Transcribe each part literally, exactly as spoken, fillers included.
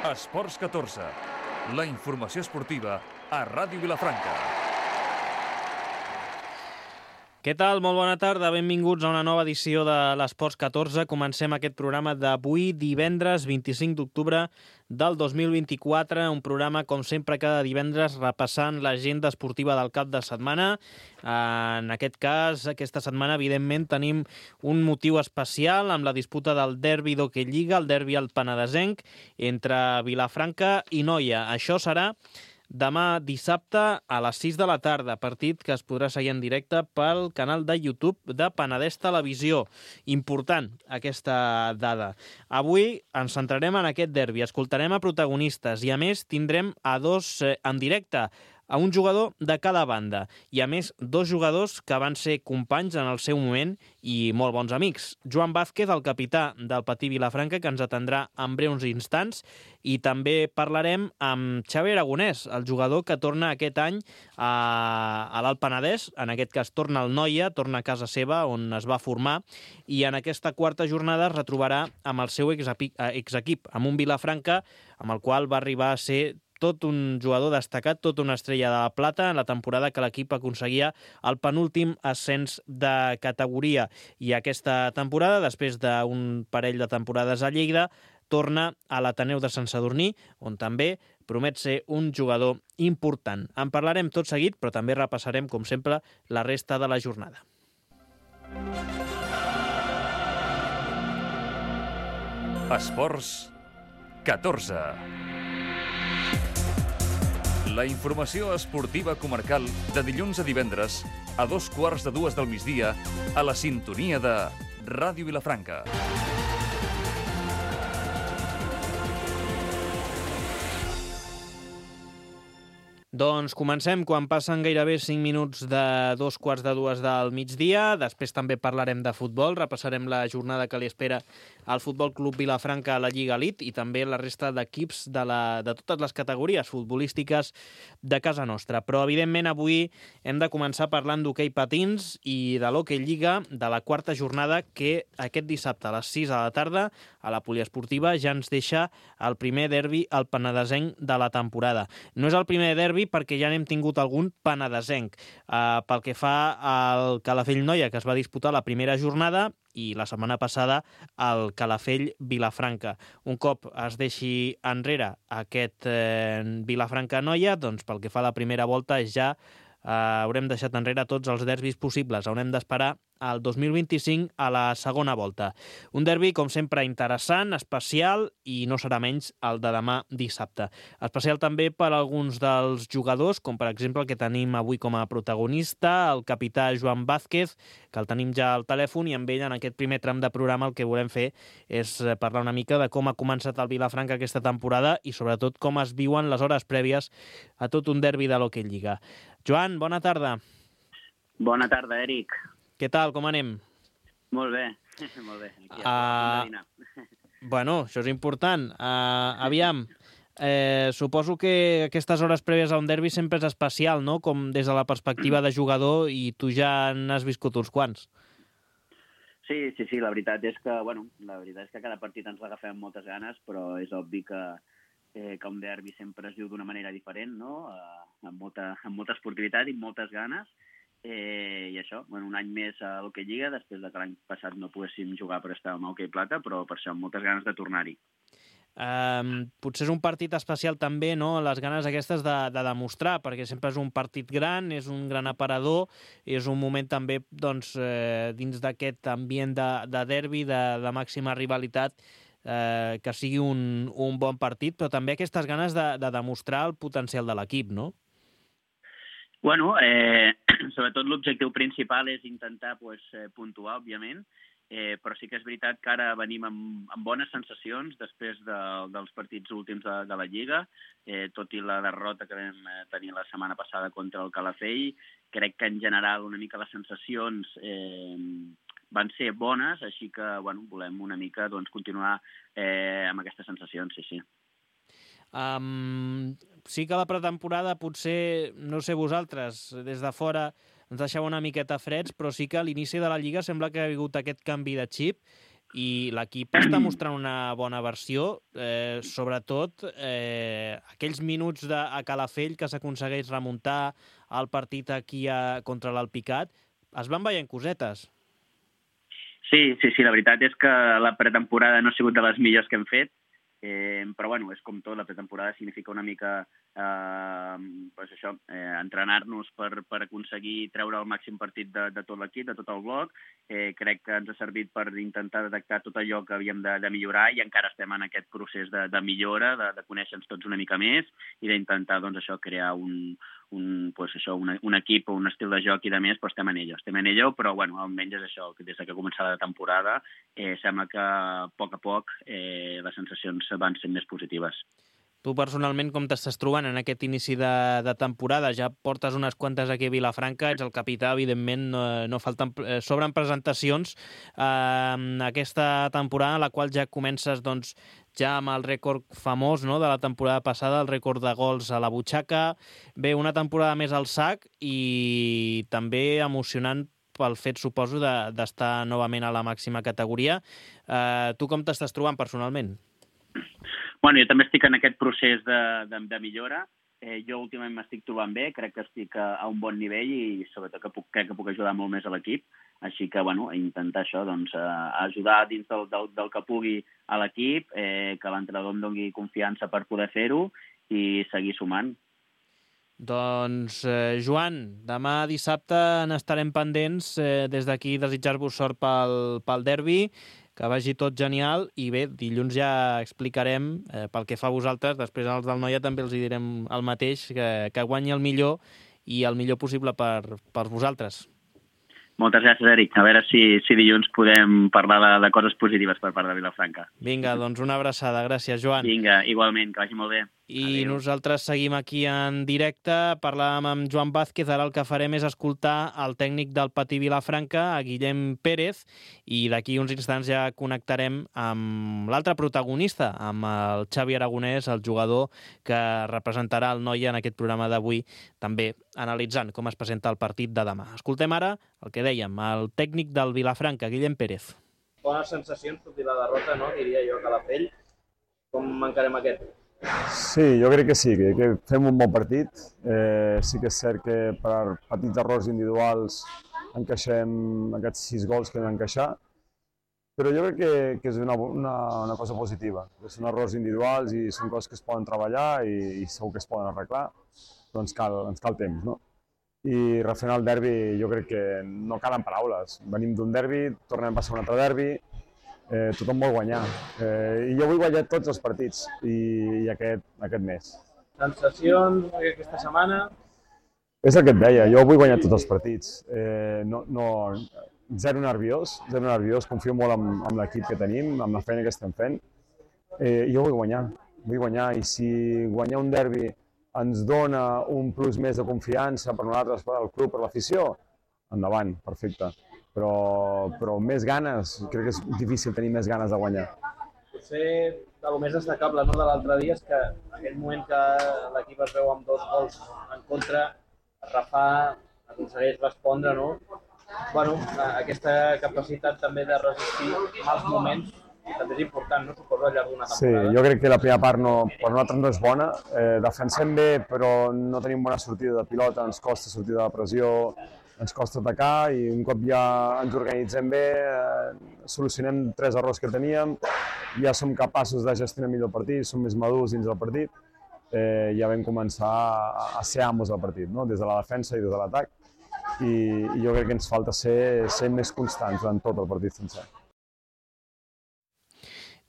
Esports catorze, la informació esportiva a Ràdio Vilafranca. Què tal? Molt bona tarda, benvinguts a una nova edició de l'Esports catorze. Comencem aquest programa d'avui, divendres vint-i-cinc d'octubre del dos mil vint-i-quatre, un programa, com sempre, cada divendres repassant l'agenda esportiva del cap de setmana. En aquest cas, aquesta setmana, evidentment, tenim un motiu especial amb la disputa del derbi d'Hockey Lliga, el derbi al Penedesenc, entre Vilafranca i Noia. Això serà demà dissabte a les sis de la tarda, partit que es podrà seguir en directe pel canal de YouTube de Penedès Televisió. Important aquesta dada. Avui ens centrarem en aquest derbi, escoltarem a protagonistes i a més tindrem a dos eh, en directe, a un jugador de cada banda i a més dos jugadors que van ser companys en el seu moment i molt bons amics. Joan Vázquez, el capità del Patí Vilafranca, que ens atendrà en breus instants, i també parlarem amb Xavi Aragonès, el jugador que torna aquest any a, a l'Alt Penedès, en aquest cas torna al Noia, torna a casa seva on es va formar, i en aquesta quarta jornada es retrobarà amb el seu exequip, amb un Vilafranca amb el qual va arribar a ser tot un jugador destacat, tota una estrella de la plata en la temporada que l'equip aconseguia el penúltim ascens de categoria. I aquesta temporada, després d'un parell de temporades a Lleida, torna a l'Ateneu de Sant Sadurní, on també promet ser un jugador important. En parlarem tot seguit, però també repassarem, com sempre, la resta de la jornada. Esports catorze. La informació esportiva comarcal de dilluns a divendres a dos quarts de dues del migdia a la sintonia de Ràdio Vilafranca. Doncs comencem quan passen gairebé cinc minuts de dos quarts de dues del migdia. Després també parlarem de futbol, repassarem la jornada que li espera al Futbol Club Vilafranca a la Lliga Elite i també la resta d'equips de, la, de totes les categories futbolístiques de casa nostra. Però, evidentment, avui hem de començar parlant d'hoquei patins i de l'Hockey Lliga, de la quarta jornada que aquest dissabte a les sis de la tarda a la poliesportiva ja ens deixa el primer derbi al penedesenc de la temporada. No és el primer derbi perquè ja n'hem tingut algun penedesenc. Uh, pel que fa al Calafell Noia, que es va disputar la primera jornada, i la setmana passada el Calafell Vilafranca. Un cop es deixi enrere aquest eh, Vilafranca Noia, doncs pel que fa a la primera volta ja eh, haurem deixat enrere tots els derbis possibles. Haurem d'esperar al dos mil vint-i-cinc a la segona volta. Un derbi, com sempre, interessant, especial i no serà menys el de demà dissabte. Especial també per alguns dels jugadors, com per exemple el que tenim avui com a protagonista, el capità Joan Vázquez, que el tenim ja al telèfon, i amb ell en aquest primer tram de programa el que volem fer és parlar una mica de com ha començat el Vilafranca aquesta temporada i sobretot com es viuen les hores prèvies a tot un derbi de l'Hockey Lliga. Joan, bona tarda. Bona tarda, Eric. Què tal, com anem? Molt bé, molt bé. Aquí uh, bueno, això és important. Uh, aviam, eh, suposo que aquestes hores prèvies a un derbi sempre és especial, no? Com des de la perspectiva de jugador, i tu ja n'has viscut uns quants. Sí, sí, sí, la veritat és que, bueno, la veritat és que cada partit ens l'agafem amb moltes ganes, però és obvi que, eh, que un derbi sempre es diu d'una manera diferent, no? Uh, amb, molta, amb molta esportivitat i amb moltes ganes. Eh, i això, bueno, un any més a l'Hockey Lliga, després de que l'any passat no poguéssim jugar per estar amb Hockey Plata, però per això amb moltes ganes de tornar-hi. Um, potser és un partit especial també, no?, les ganes aquestes de, de demostrar, perquè sempre és un partit gran, és un gran aparador, és un moment també, doncs, eh, dins d'aquest ambient de, de derbi, de, de màxima rivalitat, eh, que sigui un, un bon partit, però també aquestes ganes de, de demostrar el potencial de l'equip, no? Bueno, eh, sobretot l'objectiu principal és intentar pues, eh, puntuar, òbviament, eh, però sí que és veritat que ara venim amb, amb bones sensacions després de, dels partits últims de, de la Lliga, eh, tot i la derrota que vam tenir la setmana passada contra el Calafell. Crec que en general una mica les sensacions eh, van ser bones, així que bueno, volem una mica doncs, continuar eh, amb aquestes sensacions, sí, sí. Um, sí que la pretemporada potser, no sé vosaltres, des de fora ens deixava una miqueta freds, però sí que a l'inici de la Lliga sembla que ha hagut aquest canvi de xip i l'equip està mostrant una bona versió, eh, sobretot eh, aquells minuts de, a Calafell que s'aconsegueix remuntar el partit aquí a, contra l'Alpicat, es van veient cosetes. Sí, sí, sí, la veritat és que la pretemporada no ha sigut de les millors que hem fet, eh, però bueno, és com tot, la pretemporada significa una mica eh, pues això, eh, entrenar-nos per, per aconseguir treure el màxim partit de, de tot l'equip, de tot el bloc. Eh, crec que ens ha servit per intentar detectar tot allò que havíem de, de millorar i encara estem en aquest procés de, de millora, de, de conèixer-nos tots una mica més i d'intentar doncs, això, crear un, un, pues, això, un, un equip o un estil de joc i de més, però estem en ello, estem en ello, però bueno, almenys és això, des que ha començat la temporada eh, sembla que a poc a poc eh, les sensacions van sent més positives. Tu personalment com t'estàs trobant en aquest inici de, de temporada? Ja portes unes quantes aquí a Vilafranca, ets el capità, evidentment, no, no falten, eh, sobren presentacions eh, aquesta temporada, en la qual ja comences doncs, ja amb el rècord famós, no?, de la temporada passada, el rècord de gols a la butxaca. Bé, una temporada més al sac i també emocionant pel fet, suposo, d'estar de, novament a la màxima categoria. Eh, tu com t'estàs trobant personalment? Bueno, jo també estic en aquest procés de, de, de millora. Eh, jo últimament m'estic trobant bé, crec que estic a, a un bon nivell i sobretot que puc, crec que puc ajudar molt més a l'equip. Així que, bueno, intentar això, doncs, ajudar dins del, del, del que pugui a l'equip, eh, que l'entrenador em doni confiança per poder fer-ho i seguir sumant. Doncs, eh, Joan, demà dissabte n'estarem pendents. Eh, des d'aquí desitjar-vos sort pel, pel derbi, que vagi tot genial, i bé, dilluns ja explicarem, eh, pel que fa a vosaltres, després als del Noia també els hi direm el mateix, que, que guanyi el millor i el millor possible per, per vosaltres. Moltes gràcies, Eric. A veure si, si dilluns podem parlar de, de coses positives per part de Vilafranca. Vinga, doncs una abraçada. Gràcies, Joan. Vinga, igualment, que vagi molt bé. I Adeu. Nosaltres seguim aquí en directe. Parlàvem amb Joan Vázquez, ara el que farem és escoltar el tècnic del Patí Vilafranca, a Guillem Pérez, i d'aquí uns instants ja connectarem amb l'altre protagonista, amb el Xavi Aragonès, el jugador que representarà el Noia en aquest programa d'avui, també analitzant com es presenta el partit de demà. Escoltem ara el que dèiem, el tècnic del Vilafranca, Guillem Pérez. Bones sensacions, tot i la derrota, no? Diria jo, a Calafell. Com encarem aquest? Sí, jo crec que sí, que, que fem un bon partit. Eh, sí que és cert que per petits errors individuals encaixem aquests sis gols que vam encaixar, però jo crec que, que és una, una, una cosa positiva. Són errors individuals i són coses que es poden treballar i, i segur que es poden arreglar, però ens cal, ens cal temps, no? I referent al derbi jo crec que no calen paraules. Venim d'un derbi, tornem a passar un altre derbi, eh, tothom vol guanyar. Eh, I jo vull guanyar tots els partits i, i aquest, aquest mes. Sensacions aquesta setmana? És el que et deia, jo vull guanyar tots els partits. Eh, no, no, zero nerviós, zero nerviós, confio molt en, en l'equip que tenim, amb la feina que estem fent. Eh, I jo vull guanyar, vull guanyar i si guanyar un derbi ens dona un plus més de confiança per nosaltres, per al club, per l'afició, endavant, perfecte. Però, però més ganes, crec que és difícil tenir més ganes de guanyar. Potser el més destacable, no, de l'altre dia és que en aquell moment que l'equip es veu amb dos gols en contra, Rafa aconsegueix respondre, no? Bueno, aquesta capacitat també de resistir mals moments també és important, no? Suposo, al llarg d'una temporada. Sí, jo crec que la primera part no, per nosaltres no és bona. Eh, defensem bé, però no tenim bona sortida de pilota, ens costa sortir de la pressió, ens costa atacar i un cop ja ens organitzem bé, eh, solucionem tres errors que teníem, ja som capaços de gestionar millor el partit, som més madurs dins del partit, eh, ja vam començar a, a ser amos del partit, no? Des de la defensa i des de l'atac, i, i jo crec que ens falta ser, ser més constants durant tot el partit sencer.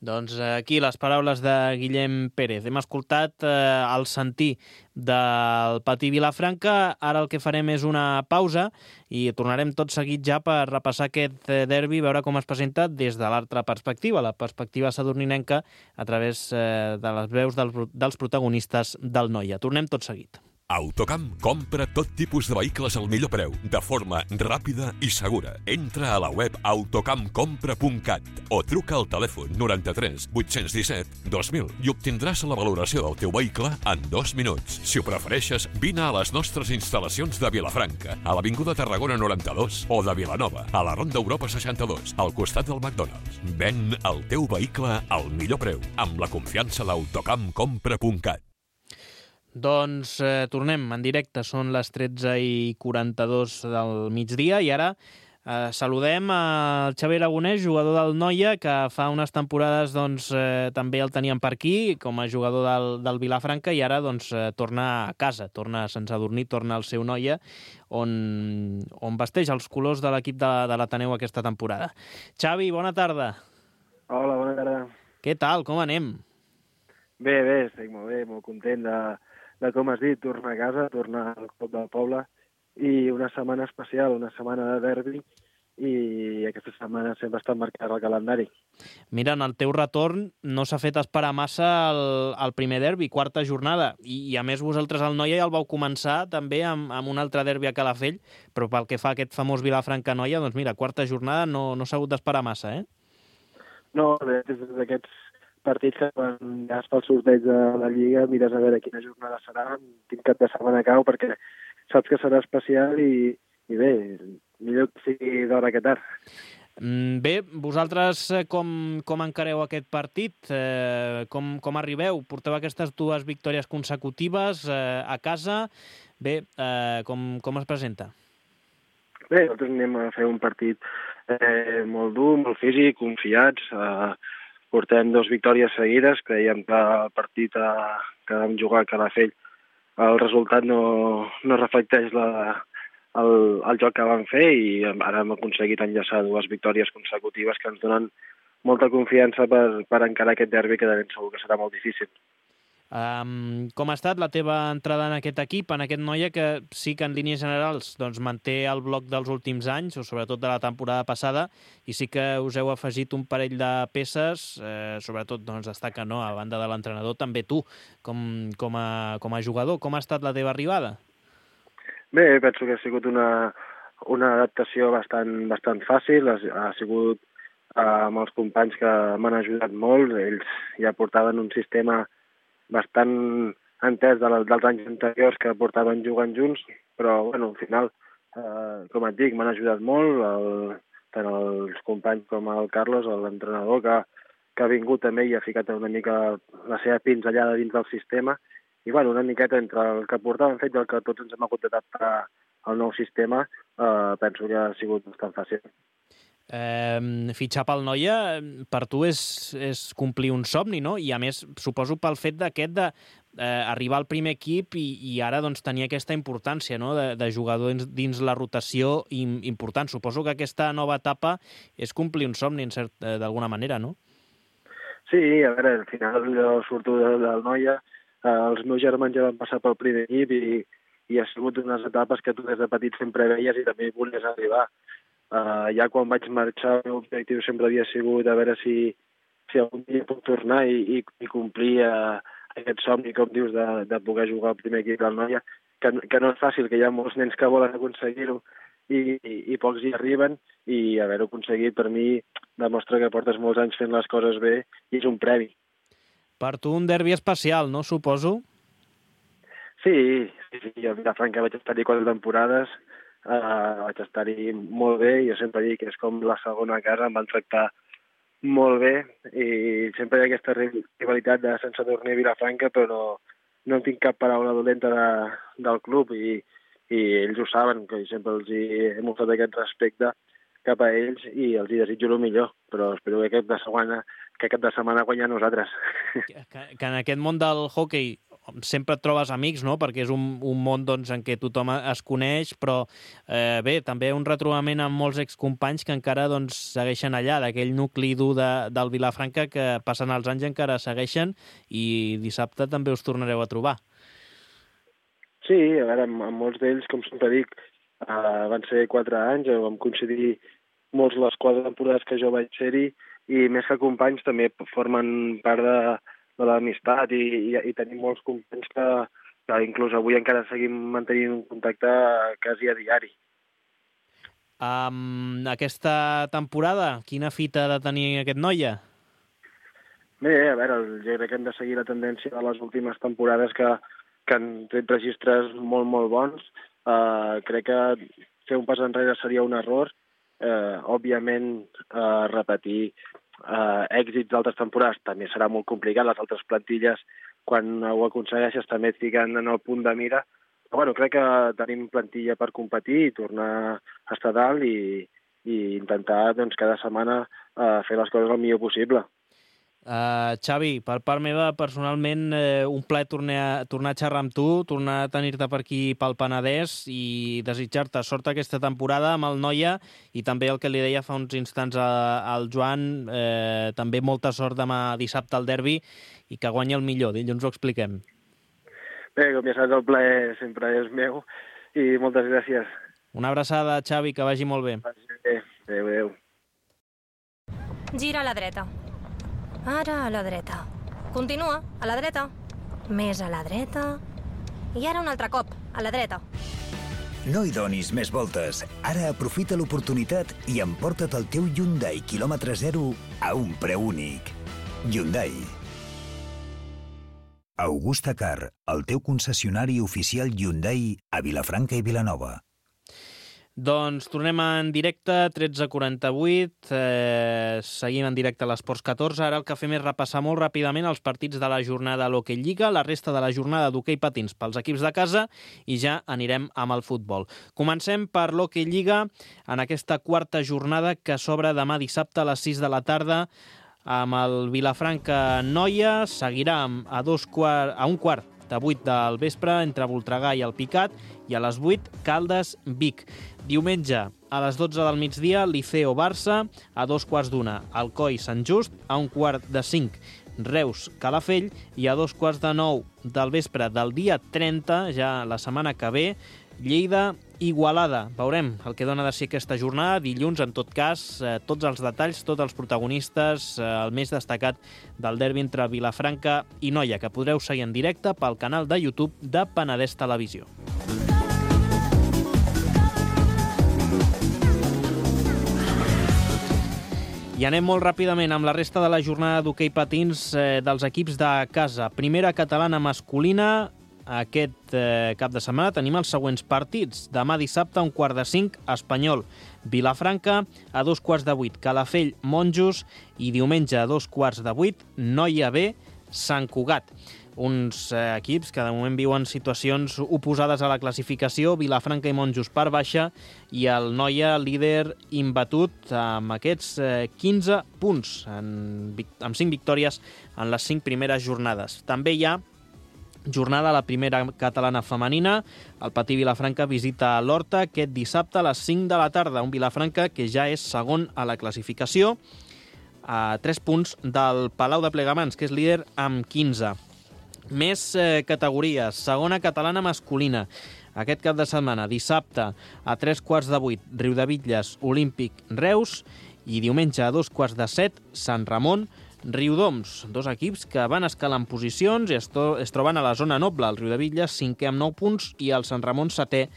Doncs aquí les paraules de Guillem Pérez. Hem escoltat eh, el sentir del Patí Vilafranca. Ara el que farem és una pausa i tornarem tot seguit ja per repassar aquest derbi, veure com es presenta des de l'altra perspectiva, la perspectiva sadurninenca, a través eh, de les veus dels, dels protagonistes del Noia. Tornem tot seguit. Autocamp compra tot tipus de vehicles al millor preu, de forma ràpida i segura. Entra a la web autocamp compra punt cat o truca al telèfon noranta-tres vuit-cents disset dos mil i obtindràs la valoració del teu vehicle en dos minuts. Si ho prefereixes, vine a les nostres instal·lacions de Vilafranca, a l'Avinguda Tarragona noranta-dos o de Vilanova, a la Ronda Europa seixanta-dos, al costat del McDonald's. Ven el teu vehicle al millor preu, amb la confiança d'autocamp compra punt cat. Doncs eh, tornem en directe, són les tretze i quaranta-dos del migdia i ara eh, saludem al Xavi Aragonès, jugador del Noia, que fa unes temporades doncs, eh, també el teníem per aquí com a jugador del, del Vilafranca i ara doncs, eh, torna a casa, torna sense adormir, torna al seu Noia on, on vesteix els colors de l'equip de, de l'Ateneu aquesta temporada. Xavi, bona tarda. Hola, bona tarda. Què tal, com anem? Bé, bé, estic molt bé, molt content de, de com has dit, tornar a casa, tornar al club del poble i una setmana especial, una setmana de derbi i aquesta setmana sempre està marcada al calendari. Mira, en el teu retorn no s'ha fet esperar massa el, el primer derbi, quarta jornada, i, i a més vosaltres al Noia ja el vau començar també amb, amb un altre derbi a Calafell, però pel que fa a aquest famós Vilafranca-Noia, doncs mira, quarta jornada no, no s'ha hagut d'esperar massa, eh? No, des d'aquests partits que quan ja es fa el sorteig de la Lliga mires a veure quina jornada serà, quin cap de setmana cau, perquè saps que serà especial i, i bé, millor que sigui d'hora que tard. Bé, vosaltres com, com encareu aquest partit? Eh, com, com arribeu? Porteu aquestes dues victòries consecutives eh, a casa. Bé, eh, com, com es presenta? Bé, nosaltres anem a fer un partit eh, molt dur, molt físic, confiats. Eh, portem dues victòries seguides. Creiem que el partit a, que vam jugar a Calafell, el resultat no, no reflecteix la, el, el joc que vam fer i ara hem aconseguit enllaçar dues victòries consecutives que ens donen molta confiança per, per encarar aquest derbi que de ben segur que serà molt difícil. Um, com ha estat la teva entrada en aquest equip, en aquest Noia que sí que en línies generals doncs, manté el bloc dels últims anys, o sobretot de la temporada passada, i sí que us heu afegit un parell de peces, eh, sobretot doncs, destaca, no, a banda de l'entrenador, també tu, com, com, a, com a jugador. Com ha estat la teva arribada? Bé, penso que ha sigut una, una adaptació bastant, bastant fàcil, ha, ha sigut eh, amb els companys que m'han ajudat molt, ells ja portaven un sistema bastant entès de la, dels anys anteriors que portaven jugant junts, però bueno, al final, eh, com et dic, m'han ajudat molt, el, tant els companys com el Carlos, l'entrenador, que, que ha vingut també i ha ficat una mica la seva pinzellada dins del sistema, i bueno, una miqueta entre el que portàvem fet i el que tots ens hem hagut d'adaptar al nou sistema, eh, penso que ha sigut bastant fàcil. Eh, fitxar pel Noia per tu és, és complir un somni, no? I a més, suposo pel fet d'aquest de eh, arribar al primer equip i, i ara doncs, tenir aquesta importància, no? de, de jugador dins, dins la rotació important. Suposo que aquesta nova etapa és complir un somni en cert, eh, d'alguna manera, no? Sí, a veure, al final jo surto del de Noia, eh, els meus germans ja van passar pel primer equip i, i ha sigut unes etapes que tu des de petit sempre veies i també volies arribar. Uh, ja quan vaig marxar, el meu objectiu sempre havia sigut a veure si, si algun dia puc tornar i, i, i complir uh, aquest somni, com dius, de, de poder jugar al primer equip del Noia, que, que no és fàcil, que hi ha molts nens que volen aconseguir-ho i, i, i pocs hi arriben, i haver-ho aconseguit per mi demostra que portes molts anys fent les coses bé i és un premi. Per tu un derbi especial, no, suposo? Sí, sí, sí. A Vilafranca vaig estar-hi quatre temporades, Uh, vaig estar-hi molt bé i jo sempre dic que és com la segona casa, em van tractar molt bé i sempre hi ha aquesta rivalitat de sense dormir a Vilafranca, però no, no en tinc cap paraula dolenta de, del club i, i ells ho saben, que sempre els hi he mostrat aquest respecte cap a ells i els hi desitjo el millor, però espero que aquest de setmana, que aquest de setmana guanyar nosaltres. Que, que en aquest món del hoquei sempre et trobes amics, no? Perquè és un, un món doncs, en què tothom es coneix, però eh, bé, també un retrobament amb molts excompanys que encara doncs, segueixen allà, d'aquell nucli dur de, del Vilafranca que passen els anys encara segueixen i dissabte també us tornareu a trobar. Sí, a veure, amb, amb molts d'ells, com sempre dic, uh, van ser quatre anys, vam coincidir molts les quatre temporades que jo vaig ser-hi i més que companys també formen part de de l'amistat i, i, i tenim molts companys que, que inclús avui encara seguim mantenint un contacte quasi a diari. Um, aquesta temporada, quina fita ha de tenir aquest noia? Bé, a veure, jo crec que hem de seguir la tendència de les últimes temporades que, que han tret registres molt, molt bons. Uh, crec que fer un pas enrere seria un error. Uh, òbviament, uh, repetir uh, èxits d'altres temporades també serà molt complicat. Les altres plantilles, quan ho aconsegueixes, també et fiquen en el punt de mira. Però bueno, crec que tenim plantilla per competir i tornar a estar dalt i, i intentar doncs, cada setmana uh, fer les coses el millor possible. Uh, Xavi, per part meva, personalment, eh, un plaer tornar a, tornar a xerrar amb tu, tornar a tenir-te per aquí pel Penedès i desitjar-te sort aquesta temporada amb el Noia i també el que li deia fa uns instants a, al Joan, eh, també molta sort demà dissabte al derbi i que guanyi el millor. Dilluns ho expliquem. Bé, com ja saps, el plaer sempre és meu i moltes gràcies. Una abraçada, Xavi, que vagi molt bé. Bé, adéu, adéu. Gira a la dreta. Ara a la dreta. Continua, a la dreta. Més a la dreta. I ara un altre cop, a la dreta. No hi donis més voltes. Ara aprofita l'oportunitat i emporta't el teu Hyundai quilòmetre zero a un preu únic. Hyundai. Augusta Car, el teu concessionari oficial Hyundai a Vilafranca i Vilanova. Doncs tornem en directe, tretze quaranta-vuit, eh, seguim en directe a l'Esports catorze. Ara el que fem és repassar molt ràpidament els partits de la jornada a l'Hockey Lliga, la resta de la jornada d'hoquei patins pels equips de casa i ja anirem amb el futbol. Comencem per l'Hockey Lliga en aquesta quarta jornada que s'obre demà dissabte a les sis de la tarda amb el Vilafranca Noia, seguirà a, dos quart, a un quart de vuit del vespre entre Voltregà i el Picat i a les vuit Caldes Vic. Diumenge a les dotze del migdia Liceo Barça, a dos quarts d'una Alcoi Sant Just, a un quart de cinc Reus Calafell i a dos quarts de nou del vespre del dia trenta, ja la setmana que ve, Lleida Igualada. Veurem el que dona de si aquesta jornada. Dilluns, en tot cas, eh, tots els detalls, tots els protagonistes, eh, el més destacat del derbi entre Vilafranca i Noia, que podreu seguir en directe pel canal de YouTube de Penedès Televisió. I anem molt ràpidament amb la resta de la jornada d'hoquei patins eh, dels equips de casa. Primera catalana masculina. Aquest eh, cap de setmana tenim els següents partits. Demà dissabte a un quart de cinc, Espanyol Vilafranca, a dos quarts de vuit, Calafell Monjos i diumenge a dos quarts de vuit, Noia B, Sant Cugat. Uns eh, equips que de moment viuen situacions oposades a la classificació, Vilafranca i Monjos per baixa i el Noia líder imbatut amb aquests eh, quinze punts, en, amb cinc victòries en les cinc primeres jornades. També hi ha jornada a la primera catalana femenina. El Patí Vilafranca visita l'Horta aquest dissabte a les cinc de la tarda. Un Vilafranca que ja és segon a la classificació, a tres punts del Palau de Plegamans, que és líder amb quinze. Més eh, categories. Segona catalana masculina. Aquest cap de setmana, dissabte, a tres quarts de vuit, Riudebitlles Olímpic Reus i diumenge a dos quarts de set, Sant Ramon Riudoms, dos equips que van escalant posicions i es, to- es troben a la zona noble. El Riudebitlles cinquè amb nou punts i el Sant Ramon setè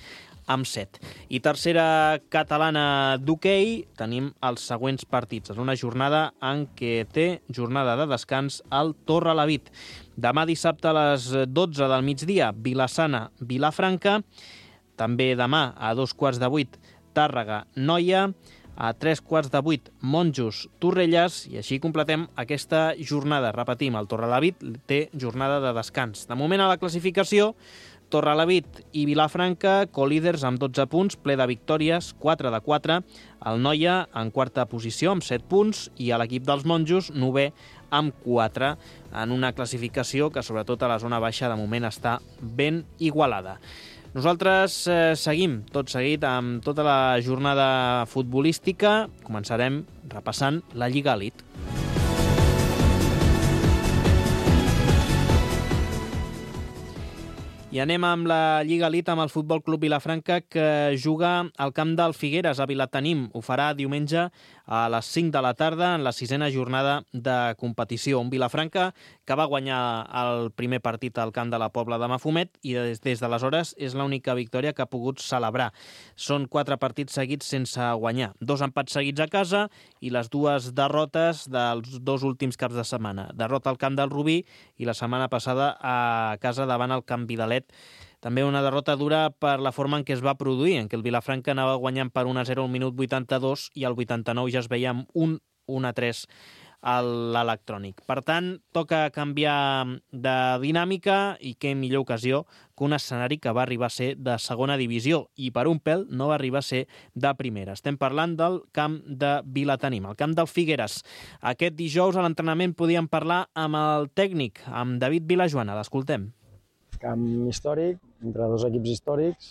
amb set. I tercera catalana d'hoquei, tenim els següents partits. En una jornada en què té jornada de descans al Torrelavit. Demà dissabte a les dotze del migdia, Vilassana Vilafranca. També demà a dos quarts de vuit, Tàrrega Noia. A tres quarts de vuit, Monjos Torrelles, i així completem aquesta jornada. Repetim, el Torrelavit té jornada de descans. De moment a la classificació, Torrelavit i Vilafranca, colíders amb dotze punts, ple de victòries, quatre de quatre. El Noia en quarta posició amb set punts i a l'equip dels Monjos, novè amb quatre, en una classificació que sobretot a la zona baixa de moment està ben igualada. Nosaltres eh, seguim tot seguit amb tota la jornada futbolística. Començarem repassant la Lliga Elite. I anem amb la Lliga Elite, amb el Futbol Club Vilafranca, que juga al camp del Figueres, a Vilatenim. Ho farà diumenge a les cinc de la tarda en la sisena jornada de competició. Un Vilafranca que va guanyar el primer partit al camp de la Pobla de Mafumet i des, des d'aleshores és l'única victòria que ha pogut celebrar. Són quatre partits seguits sense guanyar. Dos empats seguits a casa i les dues derrotes dels dos últims caps de setmana. Derrota al camp del Rubí i la setmana passada a casa davant el Camp Vidalet. També una derrota dura per la forma en què es va produir, en què el Vilafranca anava guanyant per un a zero al minut vuitanta-dos i al vuitanta-nou ja es veia amb un un a tres a l'electrònic. Per tant, toca canviar de dinàmica i què millor ocasió que un escenari que va arribar a ser de segona divisió i per un pèl no va arribar a ser de primera. Estem parlant del camp de Vilatenim, el camp del Figueres. Aquest dijous a l'entrenament podíem parlar amb el tècnic, amb David Vilajoana. L'escoltem. Camp històric, entre dos equips històrics,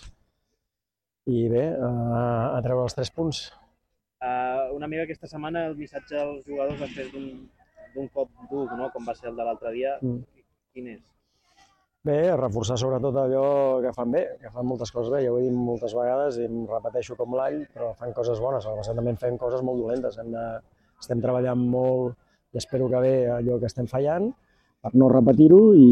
i bé, a treure els tres punts. Uh, una mica aquesta setmana el missatge als jugadors després d'un cop dur, no? Com va ser el de l'altre dia, mm. quin és? Bé, reforçar sobretot allò que fan bé, que fan moltes coses bé, ja ho he dit moltes vegades i em repeteixo com l'all, però fan coses bones, al passat també fem coses molt dolentes, hem de, estem treballant molt i espero que bé allò que estem fallant, per no repetir-ho i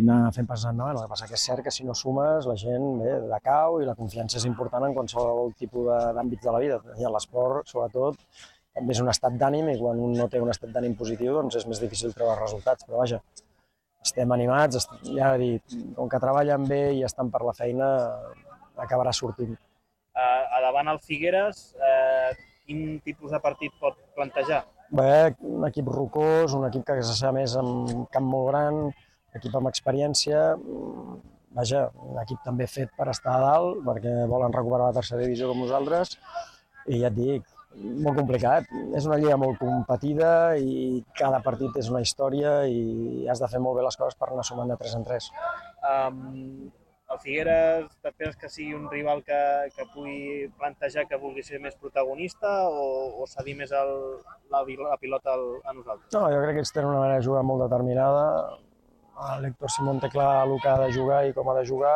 anar fent passes endavant. El que passa que és cert que si no sumes la gent bé, decau i la confiança és important en qualsevol tipus d'àmbits de la vida. I l'esport, sobretot, també és un estat d'ànim i quan un no té un estat d'ànim positiu doncs és més difícil treure resultats. Però vaja, estem animats, ja he dit, com que treballen bé i estan per la feina, acabarà sortint. Uh, a davant el Figueres, uh, quin tipus de partit pot plantejar? Bé, un equip rocós, un equip que s'assà més amb un camp molt gran, un equip amb experiència, vaja, un equip també fet per estar a dalt, perquè volen recuperar la tercera divisió com nosaltres, i ja et dic, molt complicat. És una lliga molt competida i cada partit és una història i has de fer molt bé les coses per anar sumant de tres en tres. Um... El Figueres, t'esperes que sigui un rival que, que pugui plantejar que vulgui ser més protagonista o, o cedir més el, la, la pilota al, a nosaltres? No, jo crec que ells tenen una manera de jugar molt determinada. L'Héctor Simón té clar el que ha de jugar i com ha de jugar.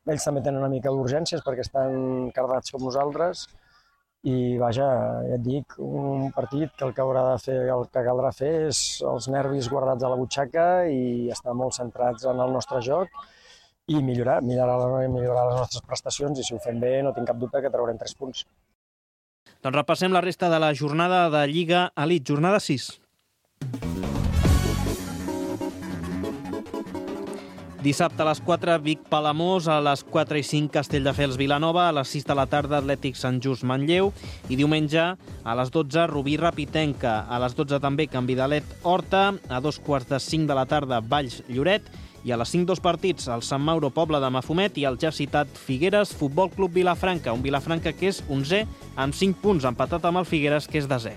Ells també tenen una mica d'urgències perquè estan cardats com nosaltres. I vaja, ja et dic, un partit que el que haurà de fer, el que caldrà fer és els nervis guardats a la butxaca i estar molt centrats en el nostre joc i millorar, millorar, millorar les nostres prestacions i si ho fem bé no tinc cap dubte que traurem tres punts. Doncs repassem la resta de la jornada de Lliga Elite, jornada sis. Dissabte a les quatre, Vic-Palamós, a les quatre i cinc, Castelldefels-Vilanova, a les sis de la tarda, Atlètic Sant Just Manlleu, i diumenge a les dotze, Rubí-Rapitenca, a les dotze també, Can Vidalet-Horta, a dos quarts de cinc de la tarda, Valls-Lloret, i a les cinc dos partits, el Sant Mauro Pobla de Mafumet i el ja citat Figueres Futbol Club Vilafranca, un Vilafranca que és onzè amb cinc punts, empatat amb el Figueres que és desè.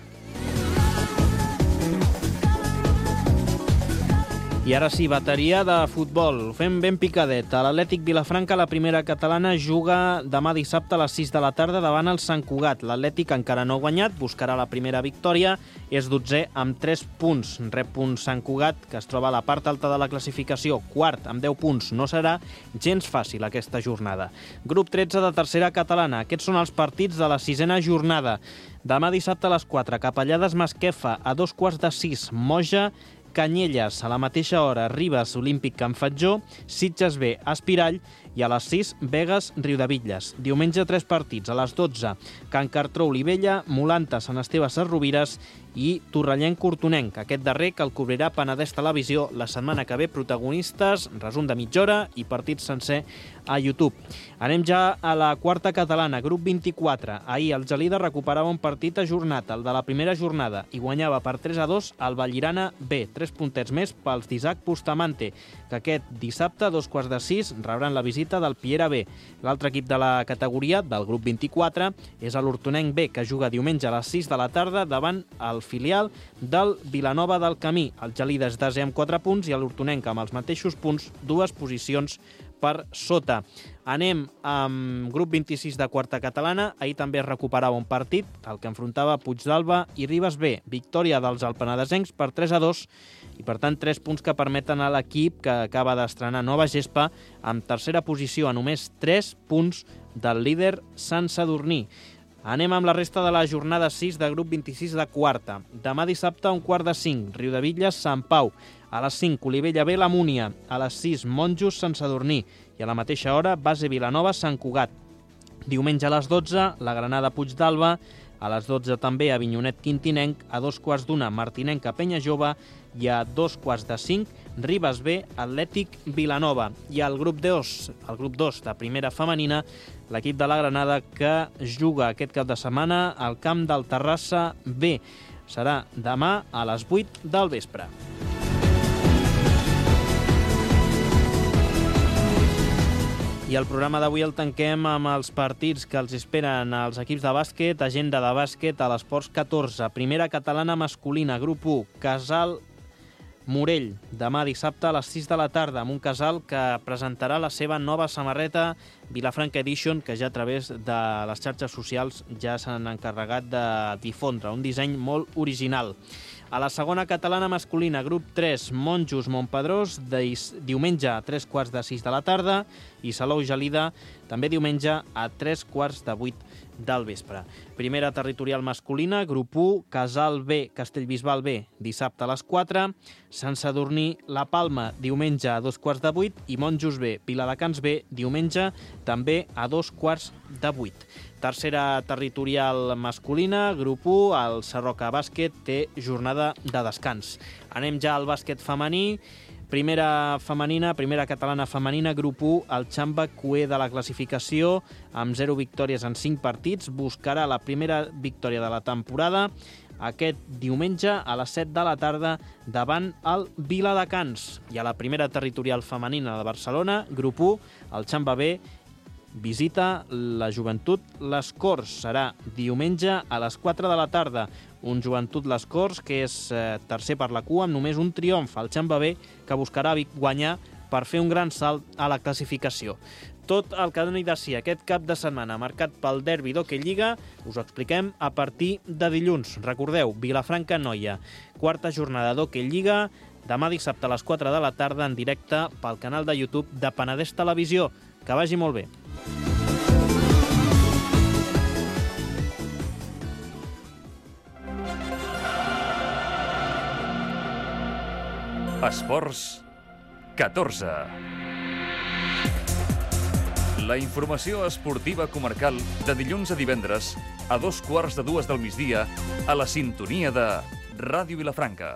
I ara sí, bateria de futbol. Ho fem ben picadet. A l'Atlètic Vilafranca, la primera catalana, juga demà dissabte a les sis de la tarda davant el Sant Cugat. L'Atlètic encara no ha guanyat, buscarà la primera victòria, és dotzè amb tres punts. Rep un Sant Cugat, que es troba a la part alta de la classificació, quart amb deu punts. No serà gens fàcil aquesta jornada. Grup tretze de tercera catalana. Aquests són els partits de la sisena jornada. Demà dissabte a les quatre, Capellades Masquefa, a dos quarts de sis, Moja, Canyelles, a la mateixa hora, Ribes, Olímpic Can Fatjó, Sitges B, Espirall, i a les sis, Begues, Riudebitlles. Diumenge, tres partits, a les dotze, Can Cartró, Olivella, Molanta, Sant Esteve, Sesrovires i Torrellenc, Cortonenc. Aquest darrer que el cobrirà Penedès Televisió la setmana que ve, protagonistes, resum de mitja hora i partit sencer a YouTube. Anem ja a la quarta catalana, grup vint-i-quatre. Ahir el Gelida recuperava un partit ajornat, el de la primera jornada, i guanyava per tres a dos al Vallirana B. Tres puntets més pels d'Isaac Bustamante, que aquest dissabte, a dos quarts de sis, rebran la visita del Piera B. L'altre equip de la categoria, del grup vint-i-quatre, és l'Hortonenc B, que juga diumenge a les sis de la tarda davant el filial del Vilanova del Camí. El Gelida és desè amb quatre punts i l'Hortonenc amb els mateixos punts, dues posicions per sota. Anem amb grup vint-i-sis de quarta catalana. Ahir també es recuperava un partit, el que enfrontava Puigdàlber i Ribes B. Victòria dels alpenadesencs per tres a dos i, per tant, tres punts que permeten a l'equip que acaba d'estrenar nova gespa amb tercera posició a només tres punts del líder Sant Sadurní. Anem amb la resta de la jornada sis de grup vint-i-sis de quarta. Demà dissabte, un quart de cinc, Riudebitlles, Sant Pau. A les cinc, Olivella B, la Múnia. A les sis, Monjos, Sant Sadurní. I a la mateixa hora, Base Vilanova, Sant Cugat. Diumenge a les dotze, la Granada Puigdàlber. A les dotze també Avinyonet Quintinenc. A dos quarts d'una, Martinenca Penya Jove. I a dos quarts de cinc, Ribes B, Atlètic Vilanova. I al grup dos, el grup dos de primera femenina, l'equip de la Granada que juga aquest cap de setmana al camp del Terrassa B. Serà demà a les vuit del vespre. I el programa d'avui el tanquem amb els partits que els esperen als equips de bàsquet, agenda de bàsquet a l'Esports catorze. Primera catalana masculina, grup u, Casal Morell, demà dissabte a les sis de la tarda, amb un Casal que presentarà la seva nova samarreta Vilafranca Edition, que ja a través de les xarxes socials ja s'han encarregat de difondre, un disseny molt original. A la segona catalana masculina, grup tres, Monjos Montpedrós, diumenge a tres quarts de sis de la tarda, i Salou Gelida, també diumenge a tres quarts de vuit del vespre. Primera territorial masculina, grup u, Casal B, Castellbisbal B, dissabte a les quatre, Sant Sadurní, La Palma, diumenge a dos quarts de vuit, i Monjos B, Viladecans B, diumenge també a dos quarts de vuit. Tercera territorial masculina, grup u, el Sarroca Bàsquet té jornada de descans. Anem ja al bàsquet femení. Primera femenina, primera catalana femenina, grup u, el Xamba Cué de la classificació, amb zero victòries en cinc partits, buscarà la primera victòria de la temporada aquest diumenge a les set de la tarda davant el Viladecans. I a la primera territorial femenina de Barcelona, grup u, el Xamba B, visita la Joventut Les Corts. Serà diumenge a les quatre de la tarda. Un Joventut Les Corts que és eh, tercer per la cua amb només un triomf. El Xamba B, que buscarà guanyar per fer un gran salt a la classificació. Tot el que doni de si aquest cap de setmana marcat pel derbi d'Hockey Lliga us ho expliquem a partir de dilluns. Recordeu, Vilafranca Noia, quarta jornada d'Hockey Lliga, demà dissabte a les quatre de la tarda en directe pel canal de YouTube de Penedès Televisió. Que vagi molt bé. Esports catorze. La informació esportiva comarcal de dilluns a divendres a dos quarts de dues del migdia a la sintonia de Ràdio Vilafranca.